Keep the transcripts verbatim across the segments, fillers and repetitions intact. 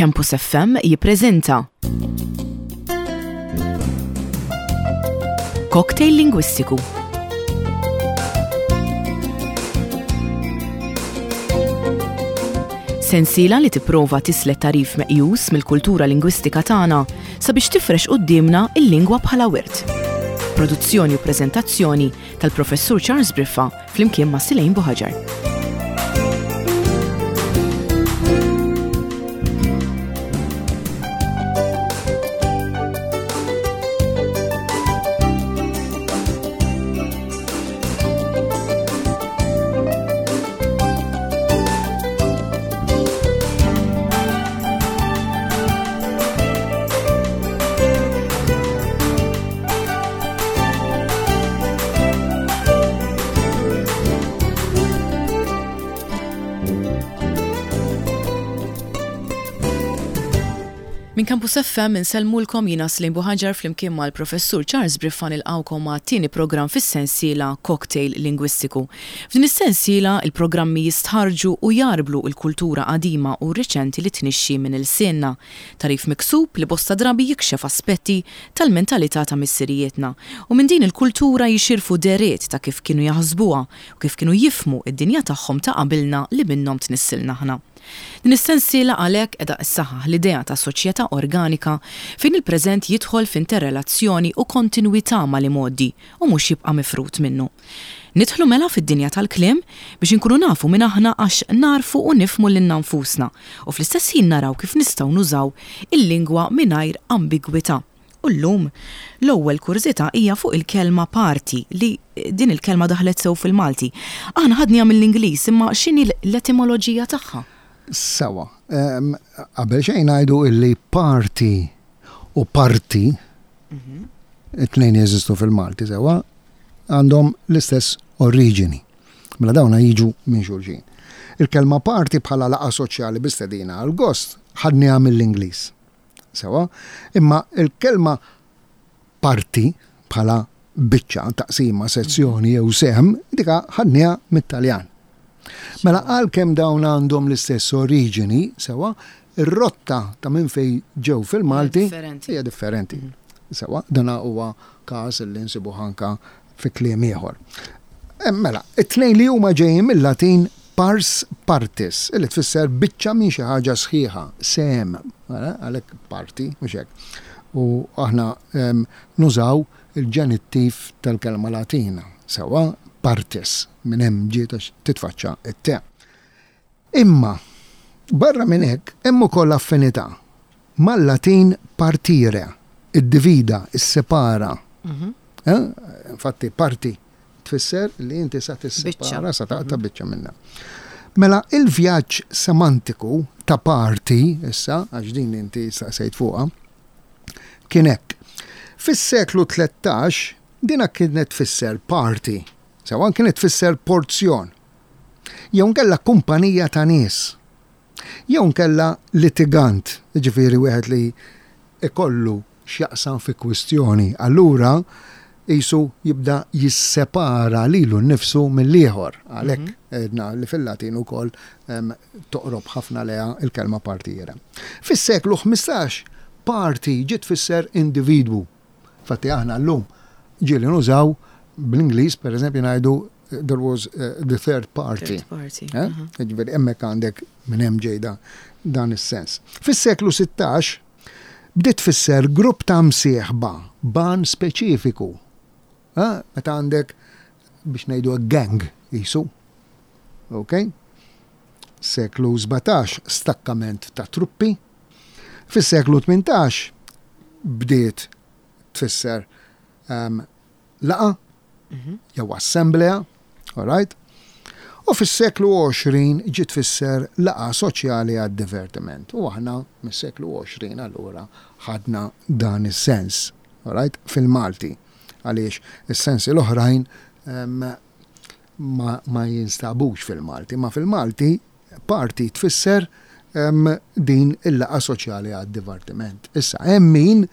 Campus F M jippreżenta Cocktail Lingwistiku. Sensiela li tipprova tislet tagħrif meqjus mill-kultura lingwistika tagħna sabiex tifrex quddiemna il-lingwa bħala wirt. Produzzjoni u preżentazzjoni tal-Professur Charles Briffa flimkien ma' Silejn Buħaġar. Min Campus F M insellmulkom, jiena Slim Buħaġar flimkien mal-Professur Charles Briffa nilqgħukom għat-tieni programm fis-sensiela Cocktail Lingwistiku. F'din is-sensiela il-programmi jistħarġu u jgħarblu l-kultura qadima u reċenti li tnixxi minn ilsienna. Tagħrif miksub li bosta drabi jikxef aspetti tal-mentalità ta' missirijietna u minn din il-kultura jixirfu dehriet ta' kif kienu jaħsbuha u kif kienu jifhmu id-dinja tagħhom ta' qabilna li minnhom tnissilna aħna. Din is-sensiela għalhekk qiegħda ssaħħaħ l-idea ta' soċjetà organika fejn il-preżent jidħol f'interrelazzjoni u kontinwità mal-imgħoddi u mhux jibqa' mifrut minnu. Nidħlu mela fid-dinja tal-kliem biex inkunu nafu min aħna, għax narfu u nifhmu lilna nfusna u fl-istess ħin naraw kif nistgħu nużaw il-lingwa mingħajr ambigwità. U llum l-ewwel kurżità hija fuq il-kelma party, li din il-kelma daħlet sew fil-Malti. Aħna ħadniha mill-Ingliż, imma x'inhi l-etimoloġija tagħha? Sewwa, qabel xejn ngħidu illi party u parti, it-tnejn jeżistu fil-Malti, sewwa, għandhom l-istess oriġini. Mela dawna jiġu minn xulxin. Il-kelma party bħala laqgħa soċjali bi stedina għal gost ħadniha mill-Ingliż. Sewwa, imma il-kelma parti bħala biċċa, taqsima, sezzjoni jew sehem, dika ħadniha mit-Taljan. Mela għalkemm dawn għandhom l-istess oriġini, sewwa, ir-rotta ta' minn fej ġew fil-Malti hija differenti. Sewwa, dana huwa każ li nsibu anka fi kliem ieħor. Eh, mela, it-tnejn li huma ġejjin mill-Latin pars partis, illi tfisser biċċa minn xi ħaġa sħiħa, sehem, mela, għalhekk parti, mhux hekk. U aħna nużaw il-ġenittiv tal-kelma Latina, sewwa, partis, minn hemm ġiet titfaċċa it-te. Imma, barra minn hekk, hemm ukoll affinità mal-Latin partire, iddivida, issepara. Mhm. Eh? Infatti, parti tfisser li inti sa tissepara, sa taqta' mhm. biċċa minna. Mela, il-vjaġġ semantiku ta' party, issa, għax din inti sejt fuqha, kien hekk. Fis-seklu tlettax, dina kienet tfisser party, sewwa, kienet tfisser porzjon. Jew nkella kumpanija ta' nies. Jew nkella litigant, ġifieri wieħed li ikollu x'jaqsam fi kwistjoni. Allura jisu jibda jissepara lilu nnifsu mill-ieħor. Għalhekk mhm. għedna li fil-Latin ukoll toqrob ħafna leha il-kelma partire. Fis-seklu ħmistax party ġiet tfisser individwu. Fatti aħna llum ġieli nużaw bl-Ingliż, per eżempju, ngħidu there was uh, the third party. Third party. Eh? Ġifieri hemmhekk għandek minn hemm ġejda dan is-sens. Fis-seklu sittax bdiet tfisser grupp ta' msieħba b'għan speċifiku. Eh? Meta għandek, biex ngħidu, gang jisu. Ok? Seklu sbatax, stakkament ta' truppi. Fis-seklu tmintax bdiet tfisser um, laqgħa jew assemblea, all right? U fis-seklu għoxrin ġiet tfisser laqgħa soċjali għad divertiment. U aħna mis-seklu għoxrin allura ħadna dan is-sens, all right? Fil-Malti. Għaliex is-sensi l-oħrajn um, ma, ma jinstabux fil-Malti, ma fil-Malti party tfisser um, din il-laqgħa soċjali għad divertiment. Issa, hemm min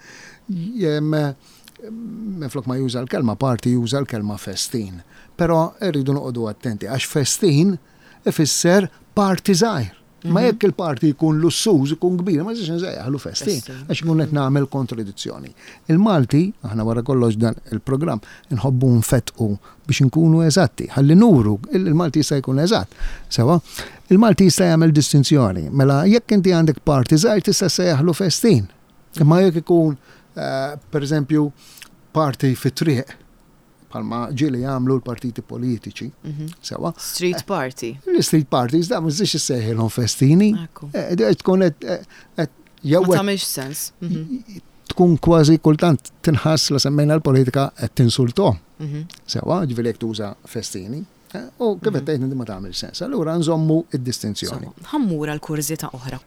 jem, minflok ma juża l-kelma party juża l-kelma festin. Però rridu noqogħdu attenti għax festin ifisser party żgħir. Ma jekk il-party jkun lussuż, ikun kbir, ma nistax insejjaħlu festin, Festin. għax ikun qed nagħmel kontradizzjoni. Il-Malti, aħna wara kollox dan il-programm nħobbu nfetqu biex inkunu eżatti, ħalli nuru il-Malti jista' jkun eżatt. Sewa, il-Malti jista' jagħmel distinzjoni. Mela jekk inti għandek party żgħir tista' ssejjaħlu festin. Imma jekk ikun eh, per eżempju party fit-triq, bħalma ġieli jagħmlu l-partiti politiċi, sewa, Street party. l-street parties da ma tistax issejħilhom festini. Ekku. Eh, eh, Tkun qed eh, qed jew Ma qed tagħmilx sens. Mhm. tkun kważi kultant tinħass la semmejna l-politika qed tinsultom. Mhm. Sewa, ġifieri jekk tuża festini. eh, U kif qed tgħid inti ma tagħmel sens. Allura nżommu id-distinzjoni. Sewa, ħa mmur għal kurżità oħra.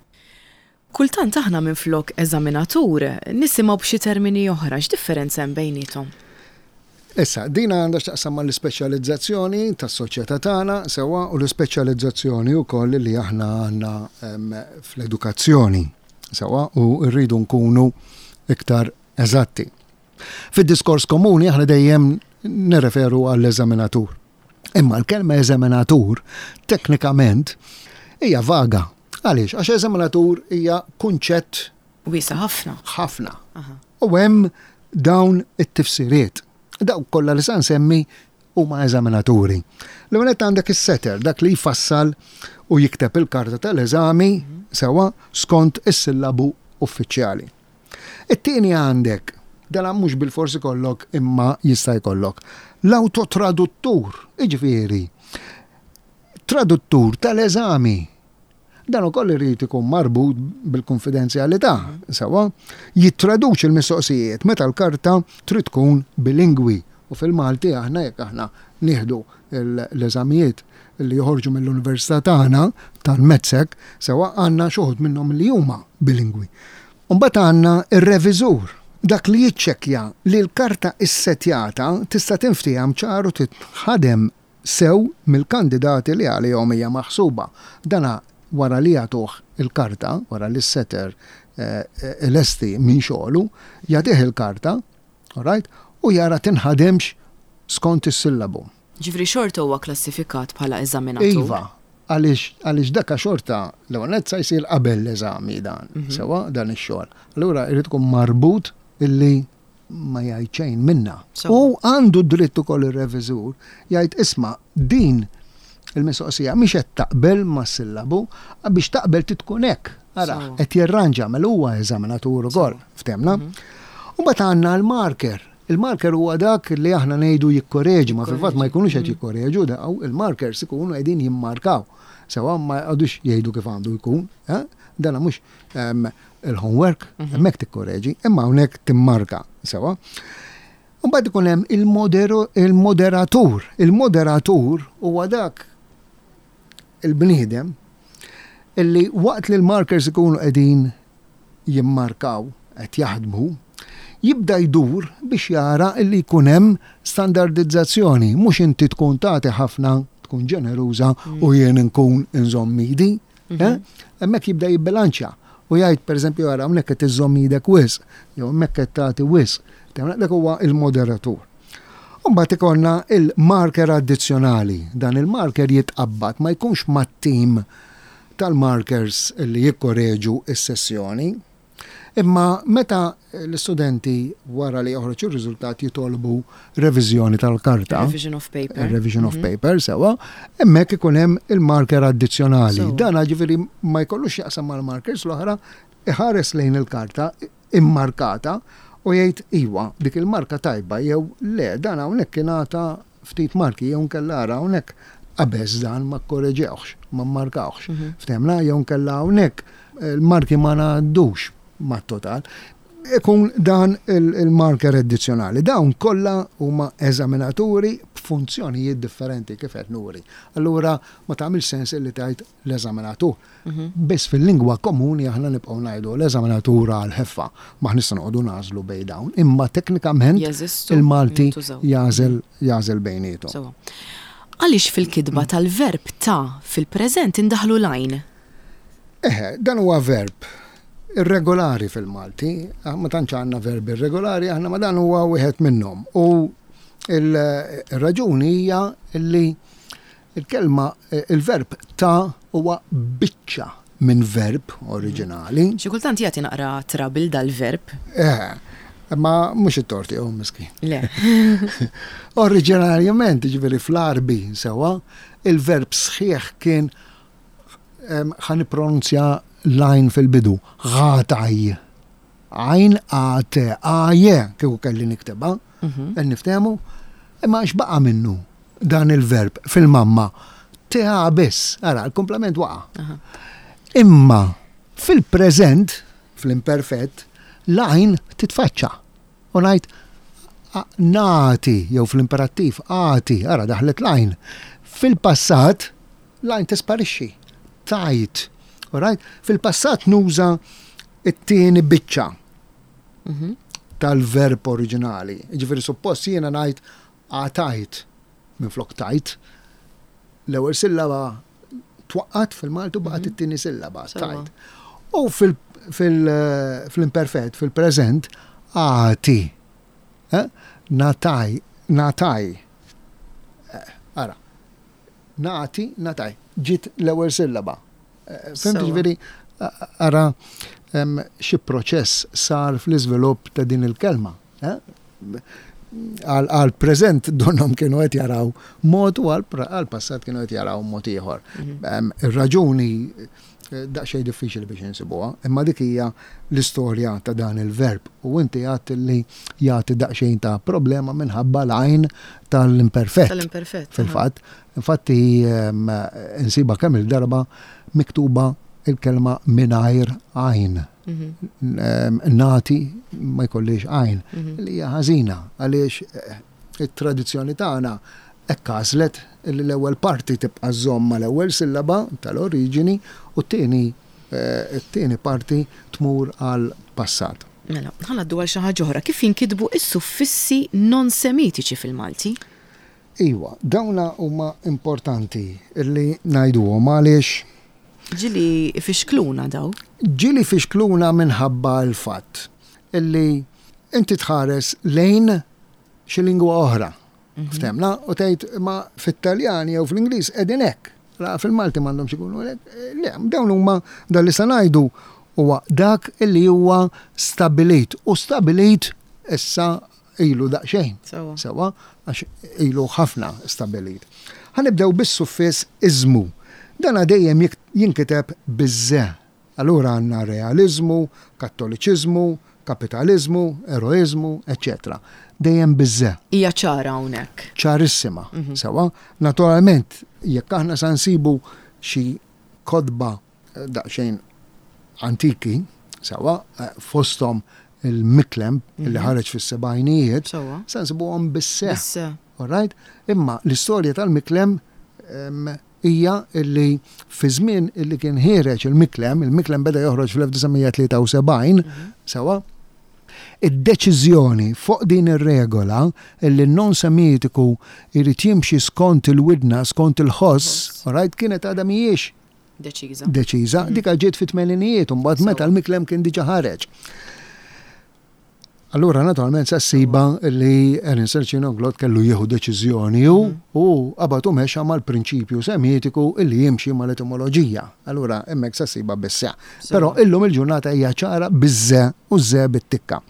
Kultant aħna minn flok eżaminatur nisimgħu b'xi termini oħra, x'differenza hemm bejniethom? Issa, dina għandha x'taqsam mal-ispeċjalizzazzjoni tas-soċjetà tagħna sewa u l-ispeċjalizzazzjoni wkoll li aħna għandna em, fl-edukazzjoni sewa u rridu nkunu iktar eżatti. Fid-diskors komuni aħna dejjem nirreferu għall-eżaminatur. Imma l-kelma eżaminatur teknikament hija vaga. Għaliex? Għax eżaminatur hija kunċett Wiesa' ħafna. ħafna. Aha. U hemm dawn it-tifsiriet. Daw kollha li sa nsemmi huma eżaminaturi. L-ewwel nett għandek is-setter, dak li jfassal u jikteb il-karta tal-eżami sewa skont is-sillabu uffiċjali. It-tieni għandek, dan mhux bil-forsi kollok imma jista' jkollok, l-autotraduttur, jiġifieri, traduttur tal-eżami. Dan ukoll irid ikun marbut bil-konfidenzjalità, sewa, jittraduċi l-mistoqsijiet meta l-karta trid tkun bilingwi. U fil-Malti aħna jekk aħna nieħdu l-eżamijiet li joħorġu mill-Università tagħna tal-MATSEC, sewa għandna xi wħud minnhom li huma bilingwi. Mbagħad għandna ir-reviżur, dak li jiċċekkja li l-karta issetjata tista' tinftiehem ċar u titħadem sew mill-kandidati li għalihom hija maħsuba. Dana wara li jagħtuh il-karta, wara li s-setter eh, eh, lesti minn xogħlu, jagħtih il-karta, all right, u jara tinħademx skont is-sillabu. Ġifieri xorta huwa klassifikat bħala eżaminatur. Iva, għaliex għaliex daka xorta l-ewwel nett sa jsir qabel l-eżami dan, sewa dan ix-xogħol. Allura jrid ikun marbut illi ma jgħid xejn minna. Sewa. U għandu dritt ukoll ir-reviżur jgħid isma' din il-mistoqsija mhix qed taqbel mas-sillabu, biex taqbel titkun hekk. Ara, Sewa. qed jirranġa mela huwa eżaminatur ukoll, ftemna. U mbagħad għandna l-marker. Il-marker huwa dak li aħna ngħidu jikkoreġi, ma fil-fatt ma jkunux qed jikkoreġu, daw il-markers ikunu qegħdin jimmarkaw. Sewa ma jqogħdux jgħidu kif għandu jkun, eh? Dana mhux ehm, il-homework, hemmhekk tikkoreġi, imma hawnhekk timmarka, sewa. Mbagħad ikun hemm il-modero- il-moderatur. Il-moderatur huwa dak il-bniedem illi waqt li l-markers ikunu qegħdin jimmarkaw, qed jaħdmu, jibda jdur biex jara illi jkun hemm standardizzazzjoni, mhux inti tkun tagħti ħafna, tkun ġeneruża u jien nkun inżomm idi. eh? Hemmhekk jibda jibbilanċja u jgħid pereżempju ara hawnhekk qed iżżomm idek wisq, jew hemmhekk qed tagħti wisq. Dak huwa il-moderatur. Mbagħad ikollna il-marker addizzjonali. Dan il-marker jitqabbad ma jkunx mat-tim tal-markers li jikkoreġu is-sessjoni. Imma meta l-istudenti wara li joħroġ ir-riżultat jitolbu reviżjoni tal-karta, Revision of paper. revision of paper, sewa, hemmhekk ikun hemm il-marker addizzjonali. Sewa. Dan ġifieri ma jkollux jaqsam mal-markers l-oħra, iħares lejn il-karta immarkata u jgħid iwa dik il-marka tajba jew le dan hawnhekk ingħata ftit marki jew nkella ara hawnhekk qabeż dan ma kkoreġewx, ma mmarkawx. Ftemna jew nkella hawnhekk il-marki ma ngħaddux mat-total. Ikun dan il- il-marker addizzjonali. Dawn kollha huma eżaminaturi b'funzjonijiet differenti kif qed nuri. Allura ma tagħmilx sens illi tgħid l-eżaminatur. Biss fil-lingwa komuni aħna nibqgħu ngħidu l-eżaminatur għal ħeffa ma nistgħu noqogħdu nagħżlu bejn dawn. Imma teknikament Jeżistu, il-Malti jintużaw. jagħżel jagħżel bejniethom. Sewa. Għaliex fil-kitba tal-verb ta' fil-preżent indaħlu l-għajn? Eħe, dan huwa verb irregolari fil-Malti, ah, ma tantx għandna verbi irregolari, aħna ma dan huwa wieħed minnhom. U il-raġuni hija li il-kelma, il-verb ta' huwa biċċa minn verb oriġinali. Xi kultant jagħti naqra trouble dal-verb. Eh, ma mhux it-tort tiegħu miskin. Le. Oriġinarjament, ġifieri fl-Arbi sewwa, il-verb sħiħ kien ħa nippronunzja l-għajn fil-bidu, għataj. Għajn A T A J, kieku kelli niktebha, qed niftehmu, imma x'baqa' minnu dan il-verb fil-mamma? T A biss, ara, l-komplement waqa'. Imma fil-preżent, fl-imperfett, l-għajn titfaċċa. U ngħid nati, jew fl-imperattiv, għati, ara daħlet l-għajn. Fil-passat, l-għajn tisparixxi, tajt. Alright? Fil-passat nuża it-tieni biċċa tal-verb oriġinali. Ġifieri suppost jiena ngħid għatajt minflok tajt. L-ewwel sillaba twaqqat fil-Malti u baqgħet it-tieni sillaba, tajt. U fil-imperfett, fil-preżent, għati. Nataj, nataj. Ara, nati, nataj. Ġiet l-ewwel sillaba. Fimt ġifieri, ara xi proċess sar fl-iżvilupp ta' din il-kelma. Għal preżent donhom kienu qed jaraw mod u għal passat kienu qed jaraw mod ieħor. Ir-raġuni daqsxejn diffiċli biex insibuha, imma dik hija l-istorja ta' dan il-verb u inti għedt li jagħti daqsxejn ta' problema minħabba l-għajn tal-imperfett. Tal-imperfett. Fil-fatt, infatti insiba kemm il-darba miktuba il-kelma mingħajr għajn. Nati ma jkollix għajn. Li hija ħażina għaliex it-tradizzjoni tagħna hekk għażlet li l-ewwel parti tibqa' żomm mal-ewwel sillaba tal-oriġini u t-tieni t-tieni parti tmur għal passat. Mela, ħa ngħaddu għal xi ħaġa oħra. Kif jinkitbu s-suffissi non-semitiċi fil-Malti? Iwa, dawna huma importanti li ngħiduhom għaliex Ġieli fixkluna daw? Ġieli fixkluna minħabba l-fatt illi inti tħares lejn xi lingwa oħra. Ftemna, u tgħid ma fit-Taljan jew fl-Ingliż qegħdin hekk. La fil-Malti m'għandhomx ikunu hekk. Le, dawn huma dan li se ngħidu huwa dak illi huwa stabilit u stabilit issa ilu daqsxejn. Sewwa, għax ilu ħafna stabilit. Ħa nibdew bis-suffiss iżmu. Dan dejjem jinkiteb biż-ze. Allura għandna realizmu, kattoliċiżmu, kapitalizmu, eroizmu, eċċetera. Dejjem biż-ze. Hija ċara hawnhekk. Ċarissima. Sewwa, naturalment, jekk aħna sa nsibu xi kotba daqsxejn antiki, sewwa, fosthom il-Miklem li ħareġ fis-sebgħinijiet, sa nsibuhom bis-se. All right? Imma l-istorja tal-Miklem hija illi fi żmien illi kien ħiereġ il-Miklem, il-Miklem beda joħroġ fl-elf disa' mija tlieta u sebgħin, sewwa, id-deċiżjoni fuq din ir-regola illi non-semitiku jrid jimxi skont il-widna, skont il-ħoss, all right, kienet għadha mhijiex deċiża. Deċiża, dik ġiet fit-tmeninijiet, u mbagħad meta l-Miklem kien diġà ħareġ. Allura naturalment sa ssiba li Aaron Sergino Glott kellu jieħu deċiżjoni hu u qabad u mexa mal-prinċipju semitiku illi jimxi mal-etimoloġija. Allura hemmhekk sa ssiba bis-se. Però illum il-ġurnata hija ċara biż-ze u ze bit-tikka.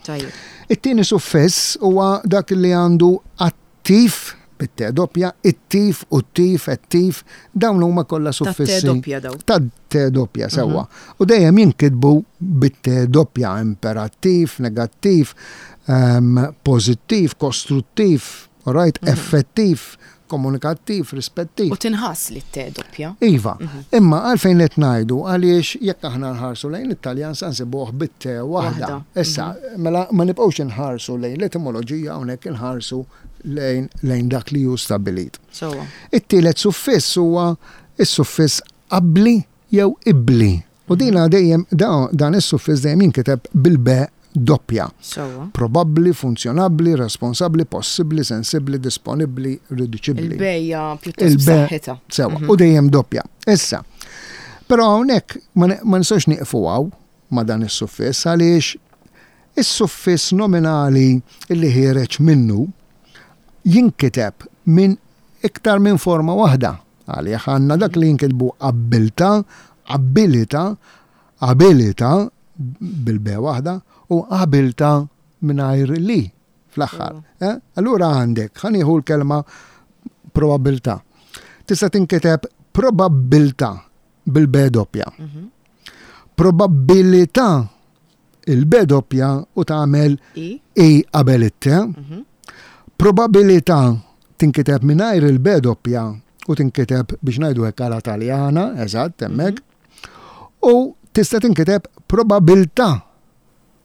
It-tieni suffiss huwa dak li għandu attiv bit-te doppja, it-tif u t-tif, et-tif, dawn huma kollha Ta' te suffissi. doppja daw. Ta' te doppja sewwa. U dejjem jinkitbu bit-te doppja, imperattiv, negattiv, ehm, pożittiv, kostruttiv, all right, effettiv, komunikattiv, rispettiv. U tinħass li t-te doppja. Iva, imma għalfejn qed ngħidu għaliex jekk aħna nħarsu lejn it-Taljan sa nsibuh bit-te waħda. Waħda. Issa, mela ma nibqgħux inħarsu lejn l-etimoloġija hawnhekk inħarsu lejn, lejn dak li hu stabilit. Sewwa. It-tielet suffiss huwa is-suffiss qabli jew ibli. U dina dejjem da-, dan is-suffiss dejjem jinkiteb bil-be doppja. Sewwa. Probabbli, funzjonabbli, responsabbli, possibbli, sensibbli, disponibbli, riduċibbli. Il-bejja pjuttost Il-be b'saħħitha. Sewwa, u dejjem doppja. Issa, però hawnhekk ma ne-, ma nistgħux nieqfu hawn ma' dan is-suffiss għaliex is-suffiss nominali li ħiereġ minnu jinkiteb minn iktar minn forma waħda. Għaliex għandna dak li jinkitbu abbilta, Abilità, abilità bil-B waħda u abilta mingħajr li fl-aħħar. Eh? Allura għandek, ħa nieħu l-kelma probabilità. Tista' tinkiteb probabbiltà bil-B doppja. Mhm. Probabilità il-B doppja u tagħmel I. I qabel it-T. Mhm. Probabilità tinkiteb mingħajr il-B doppja u tinkiteb biex ngħidu hekk għala Taljana, eżatt, hemmhekk. U tista' tinkiteb probabilità.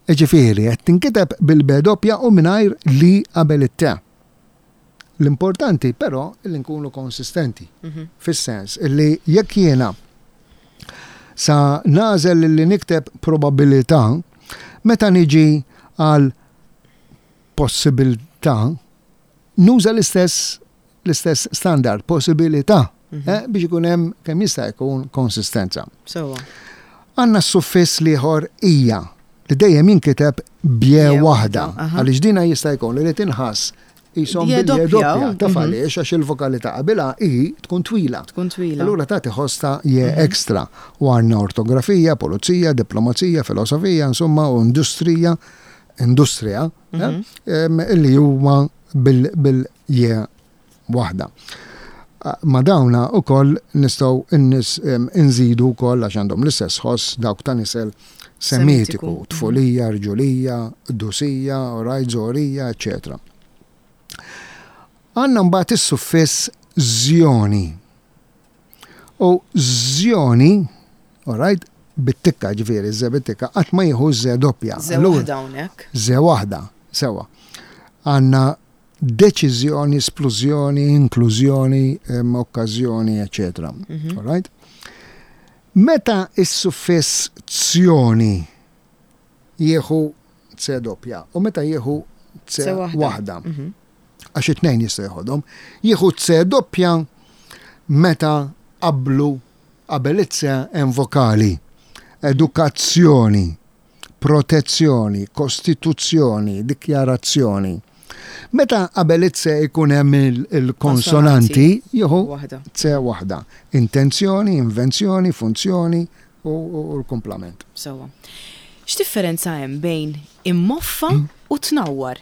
Ġifieri, qed tinkiteb bil-B doppja u mingħajr li qabel it-T. L-importanti però li nkunu konsistenti Mhm. fis-sens illi jekk jiena sa nagħżel li nikteb probabilità, meta niġi għal possibilità, nuża l-istess l-istess standard, possibilità, Mhm. eh, biex ikun hemm kemm jista' jkun konsistenza. Sewwa. Għandna s-suffiss l-ieħor ija li dejjem jinkiteb b'je B'je waħda, waħda, aha. għaliex dina jista' jkun li tinħass qishom B'je bil-je doppja, doppja, oh, taf mhm. għaliex għax il-vokali ta' qabilha i tkun twila. Tkun twila. Allura tagħti ħoss ta' je ekstra. U għandna ortografija, pulizija, diplomazija, filosofija, insomma, u industrija, industrija, Mhm. eh, em, illi huma bil- bil-je waħda. Ma dawna u koll nistgħu innis em, inżidu wkoll għax għandhom l-istess ħoss dawk ta' nisel semitiku, Semitiku. tfulija, rġulija, dusija, rajt, żorija, eccetera. Għandna mbagħad is-suffiss żjoni. U żjoni, alright, bit-tikka ġifieri, ze bit-tikka, qatt ma jieħu ze doppja. Ze Allura, waħda hawnhekk. Ze waħda, sewa. Għandna deċiżjoni, splużjoni, inklużjoni, em, okkażjoni, eccetera. Mhm. Alright? Meta is-suffiss zjoni jieħu C doppja u meta jieħu C C waħda. waħda, Mhm. għax it-tnejn jista' jeħodhom, jieħu C doppja meta qablu qabel it-C hemm vokali. Edukazzjoni, protezzjoni, kostituzzjoni, dikjarazzjoni. Meta qabel it-C ikun hemm il- il-konsonanti, jieħu Waħda. C waħda. Intenzjoni, invenzjoni, funzjoni u, u, u l-komplament. Sewwa. X'differenza hemm bejn immoffa Mm. u tnawwar?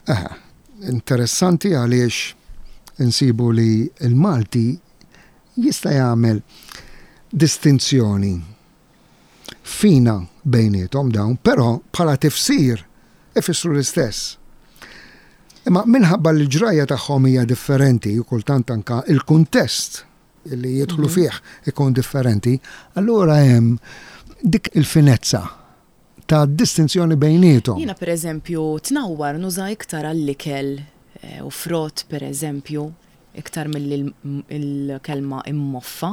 Aha, interessanti għaliex insibu li il-Malti jista' jagħmel distinzjoni fina bejniethom dawn, però bħala tifsir ifissru l-istess. Imma minħabba li l-ġrajja tagħhom hija differenti u kultant anka il-kuntest li jidħlu fih ikun differenti, allura hemm dik il-finezza ta' distinzjoni bejniethom. Jiena per eżempju tnawwar nuża iktar għall-ikel eh, u frott per eżempju iktar milli l- il-kelma immoffa.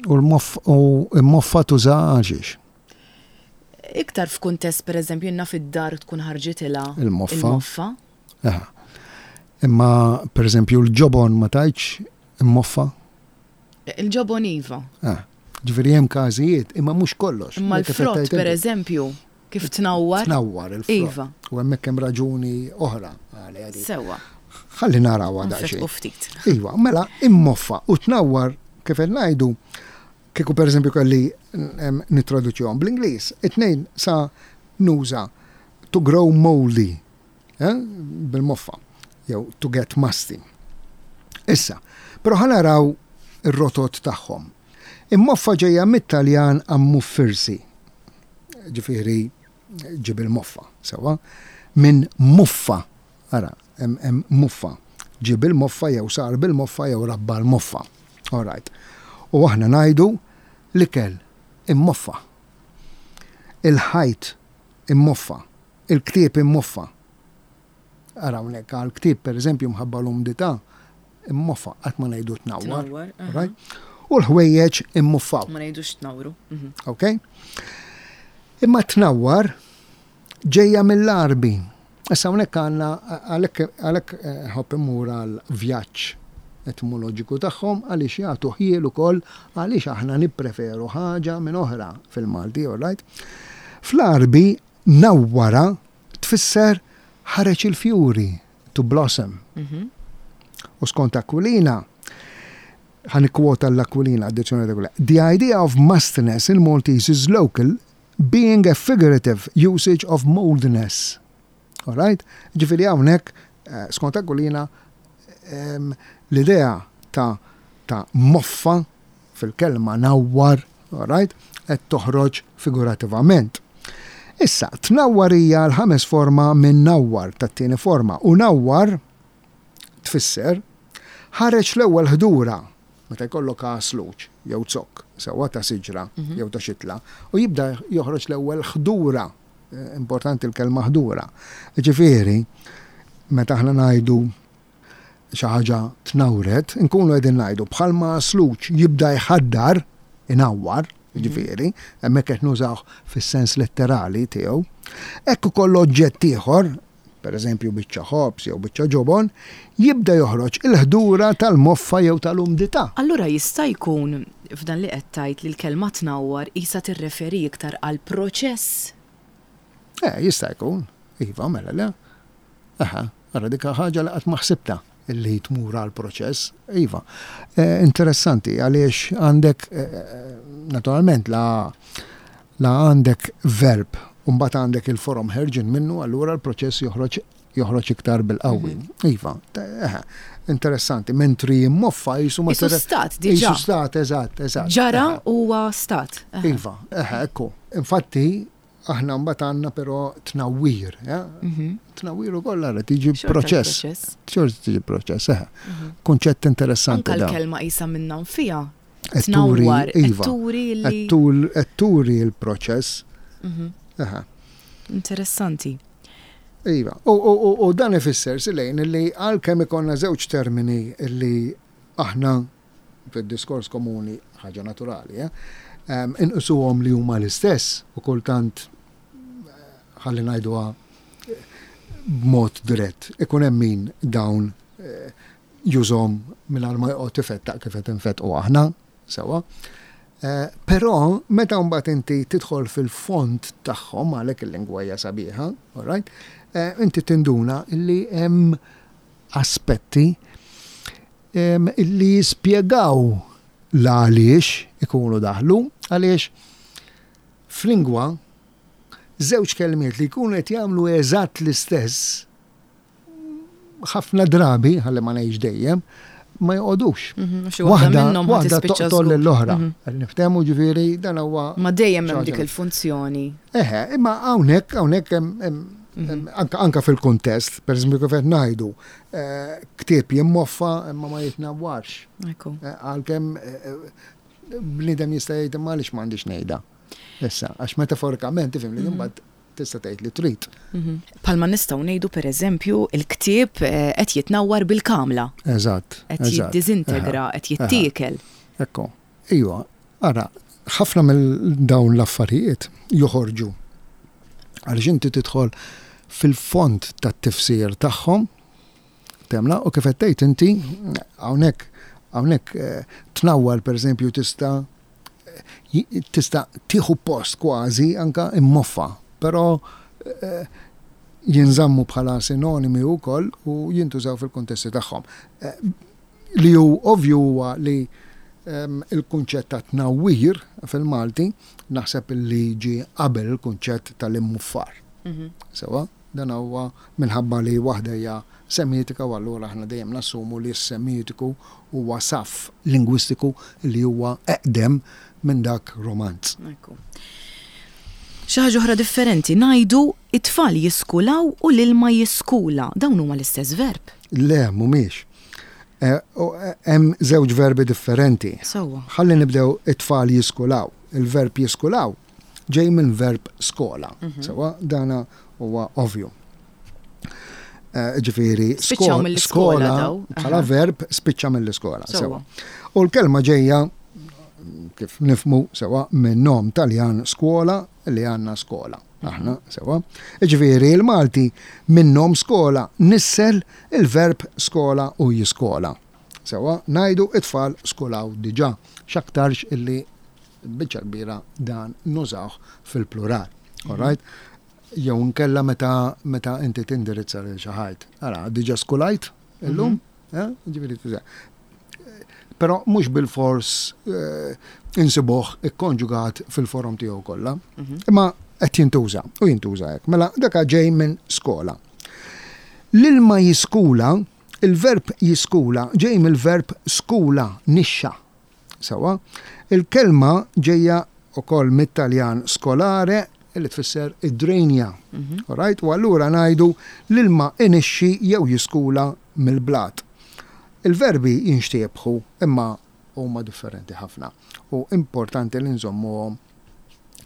U l-moff u l-moffa tuża għalxiex. Iktar f'kuntest per eżempju jiena fid-dar tkun ħarġitilha Il-moffa. Il-moffa. Aha. Imma per eżempju l-ġobon ma tajtx immoffa. Il-ġobon iva. Ah. Ġifieri hemm każijiet, imma mhux kollox. Imma Kif l-frott qed per tgħid inti. eżempju kif tnawwar. Tnawwar il-frott. Iva. U hemmhekk hemm raġuni oħra għalija dik. Sewwa. Ħalli narawha daqsxejn. Nfetqu ftit. Iva, mela immoffa u tnawwar kif qed ngħidu kieku per eżempju kelli em, nittraduċihom bl-Ingliż, it-tnejn sa nuża to grow moldy, eh, bil-moffa, jew to get musty. Issa, però ħa naraw ir-rotot tagħhom. Immoffa ġejja mit-Taljan ammuffirsi, ġifieri ġib il-moffa, sewa, minn muffa, ara, hemm hemm muffa, ġib il-moffa jew sar bil-moffa jew rabba l-moffa. All right. U aħna ngħidu l-ikel immoffa. Il-ħajt immoffa, il-ktieb immoffa. Ara hawnhekk għal-ktieb pereżempju mħabba l-umdità immoffa qatt ma ngħidu tnawwar. Tnawwar, aha. Right? U l-ħwejjeġ immuffaw. Ma ngħidux tnawru. Mhm. Ok? Imma tnawwar ġejja mill-Għarbi. Issa hawnhekk għandna għalhekk għalhekk eh, ħobb immur għal vjaġġ etimoloġiku tagħhom għaliex jagħtu ħjiel ukoll għaliex aħna nippreferu ħaġa minn oħra fil-Malti, all right? Fl-Għarbi nawwara tfisser ħareġ il-fjuri, to blossom. Mhm. U skont Aquilina, Ħa nikkwota l-Aquilina, addizzjoni ta'. "The idea of mustiness in Maltese is local, being a figurative usage of moldness." All right? Ġifieri hawnhekk, eh, skont Aquilina, l-idea ta' ta' moffa fil-kelma nawwar, all right, qed toħroġ figurativament. Issa, tnawwar hija l-ħames forma minn nawwar, tat-tieni forma, u nawwar tfisser ħareġ l-ewwel ħdura, meta jkollok għasluġ jew zokk, sewwa, ta' siġra mhm. jew ta' xitla, u jibda joħroġ l-ewwel ħdura. Eh, importanti l-kelma ħdura. Ġifieri, meta aħna ngħidu xi ħaġa tnawret, nkunu qegħdin ngħidu bħalma għasluġ jibda jħaddar, inawwar, mhm. ġifieri, hemmhekk qed nużaw fis-sens letterali tiegħu. Hekk ukoll oġġett ieħor, per eżempju biċċa ħobż jew biċċa ġobon, jibda joħroġ il-ħdura tal-moffa jew tal-umdità. Allura jista' jkun f'dan li qed tgħid li l-kelma tnawwar isa tirreferi iktar għal proċess? Eh, jista' jkun. Iva, mela le. Aha, ara dik ħaġa li qatt ma ħsibta illi tmur għal proċess. Iva. Eh, interessanti għaliex għandek eh, naturalment la la għandek verb u mbagħad għandek il-forom ħerġin minnu, allura l-proċess joħroġ joħroġ iktar bil-qawwi. Mhm. Iva, eh, interessanti, mentri moffa jisu ma stat diġà. Jisu stat, eżatt, eżatt. Ġara huwa stat. Iva, eħe, ekku. Infatti, aħna mbagħad għandna però tnawwir, mhm. Tnawwir ukoll ara tiġi proċess. Xorta tiġi proċess, eħe. Mhm. Kunċett interessanti. Anka l-kelma isa minna fija. Tnawwar, iva. Turi l-proċess. Aha. Interessanti. Iva, u dan ifisser, Silejn, li għalkemm ikollna żewġ termini li aħna fid-diskors komuni, ħaġa naturali, eh, inqisuhom li huma l-istess u kultant, eh, ħalli ngħiduha eh, b'mod dirett, ikun hemm min dawn jużhom mingħajr ma joqgħod ifettaq kif qed infettqu aħna, sewwa. Però meta mbagħad inti tidħol fil-fond tagħhom, għalhekk il-lingwa hija sabiħa, all right? Inti tinduna li hemm aspetti illi jispjegaw l-għaliex ikunu daħlu, għaliex f'lingwa żewġ kelmiet li jkunu qed jagħmlu eżatt l-istess ħafna drabi, ħalli ma ngħidx dejjem, ma joqogħdux. Mhm, xi waħda minnhom waħda tispiċċa toqtol żgur. Lill-oħra. Niftehmu, ġifieri dan huwa Ma dejjem hemm xi dik ħaġa. il-funzjoni. Eħe, imma hawnhekk hawnhekk hemm hemm anka, anka fil-kuntest, per eżempju kif qed ngħidu, eh, ktieb jimmoffa imma ma jitnawwarx. Ekku. Eh, Għalkemm eh, eh, bniedem jista' jgħid, imma għaliex m'għandix ngħidha. Issa, għax metaforikament tifhem li mbagħad tista' tgħid li trid. Bħalma nistgħu ngħidu, pereżempju, il-ktieb eh, qed jitnawwar bil-kamla, Eżatt. qed eżatt. jiddiżintegra, qed jittiekel. Ekku, iva, ara, ħafna mill dawn l-affarijiet joħorġu għaliex inti tidħol fil-fond tat-tifsir tagħhom, temla, u kif qed tgħid inti, hawnhekk hawnhekk eh, tnawwar, pereżempju, tista' eh, tista' tieħu post kważi anka immoffa, però eh, jinżammu bħala sinonimi wkoll u jintużaw fil-kuntesti tagħhom. Eh, Li hu ovvju huwa li em, il-kunċett ta' tnawwir fil-Malti naħseb li ġi qabel il-kunċett tal-immuffar. Sewwa, dan huwa minħabba li waħda hija semitika u allura aħna dejjem nassumu li s-semitiku huwa saf lingwistiku li huwa eqdem minn dak Romanz. Ekku. Xi ħaġa oħra differenti, ngħidu it-tfal jiskulaw u l-ilma jiskula. Dawn huma l-istess verb. Le, mhumiex. Eh, u, eh, Hemm żewġ verbi differenti. Sewwa. Ħalli nibdew it-tfal jiskulaw. Il-verb jiskulaw ġej minn verb skola. Sewwa, dana huwa ovvju. Eh, Ġifieri, Spiċċaw skol- mill-iskola skola daw. bħala Aha. verb spiċċa mill-iskola. Sewwa. Sewwa. U l-kelma ġejja, kif nifhmu sewwa, minn nom Taljan scuola li għandna skola. Aħna, sewwa. Ġifieri, il-Malti minn nom skola nissel il-verb skola u jiskola. Sewwa, ngħidu it-tfal skolaw diġà. X'aktarx illi biċċa kbira dan nużawh fil-plural. All right? Jew nkella meta meta inti tindirizza lil xi ħadd. Ara, diġà skulajt illum? Eh? Ġifieri tuża. Però mhux bil-fors eh, insibuh ikkonġugat fil-forom tiegħu kollha. Mhm. Imma qed jintuża u jintuża hekk. Mela dak ġej minn skola. L-ilma jiskula, il-verb jiskula ġej mill-verb skula, nixxa. Sewwa, il-kelma ġejja ukoll mit-Taljan scolare, li tfisser id-drenja. Mhm. Alright? U allura ngħidu l-ilma inixxi jew jiskula mill-blat. Il-verbi jinxtiebħu, imma huma differenti ħafna. U importanti li nżommuhom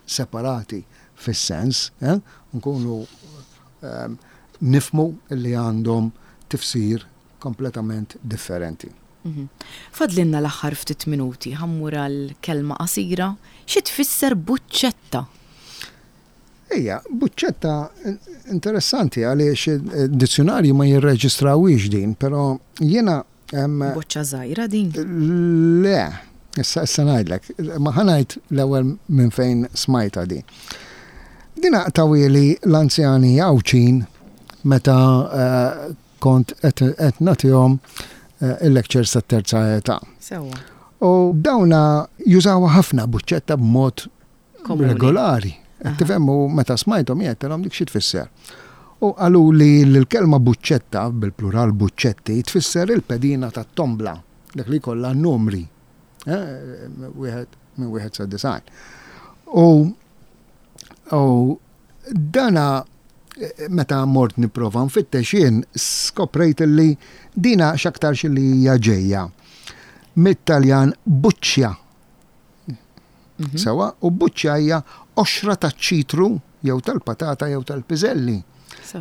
separati fis-sens, eh? Nkunu um, nifhmu li għandhom tifsir kompletament differenti. Mhm. Fadlinna l-aħħar ftit minuti, ħa mmur għal kelma qasira, xi tfisser buċċetta? Ija, buċċetta interessanti għaliex dizzjonarju ma jirreġistrawix din, però jiena Boċċa żgħira din? Le, issa issa ngħidlek, ma ħa ngħid l-ewwel minn fejn smajta di. Dina tawhieli l-anzjani Għawdxin meta eh, kont qed nagħtihom eh, il-lectures tat-terza età. Sewwa. U dawna jużawha ħafna, buċċetta, b'mod regolari. Tifhem, u meta smajthom għedtilhom, "Dik xi tfisser?" U qalu li l-kelma buċċetta, bil-plural buċċetti, tfisser il-pedina tat-tombla, dak li kollha numri. Eh, wieħed minn wieħed sa disgħin. U u dana eh, meta mort nipprova nfittex jien, skoprejt li dina x'aktarx li hija ġejja mit-Taljan buċċja. Mhm. Sewwa, u buċċja hija qoxra taċ-ċitru jew tal-patata jew tal-piżelli.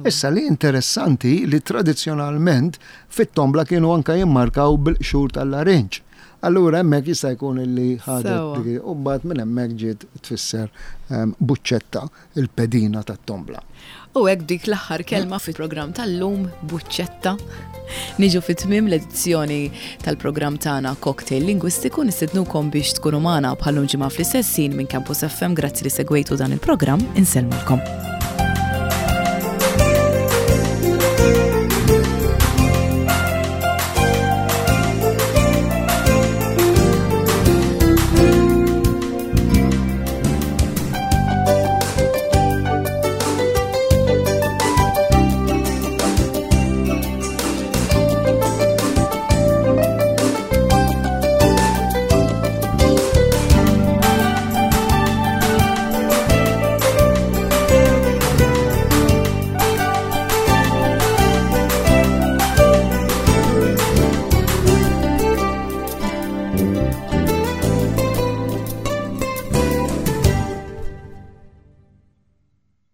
Issa li interessanti li tradizzjonalment fit-tombla kienu anka jimmarkaw bil-qxur tal-larinġ. Allura hemmhekk jista' jkun illi ħadet u mbagħad minn hemmhekk ġiet tfisser ehm, buċċetta, il-pedina tat-tombla. U hekk dik l-aħħar kelma fil-programm tal-lum, buċċetta, niġu fi tmiem l-edizzjoni tal-programm tagħna Cocktail Lingwistiku. Nistednukom biex tkunu magħna bħal-lum ġimgħa fl-istess ħin minn Campus F M. Grazzi li segwejtu dan il-programm, insellmulkom.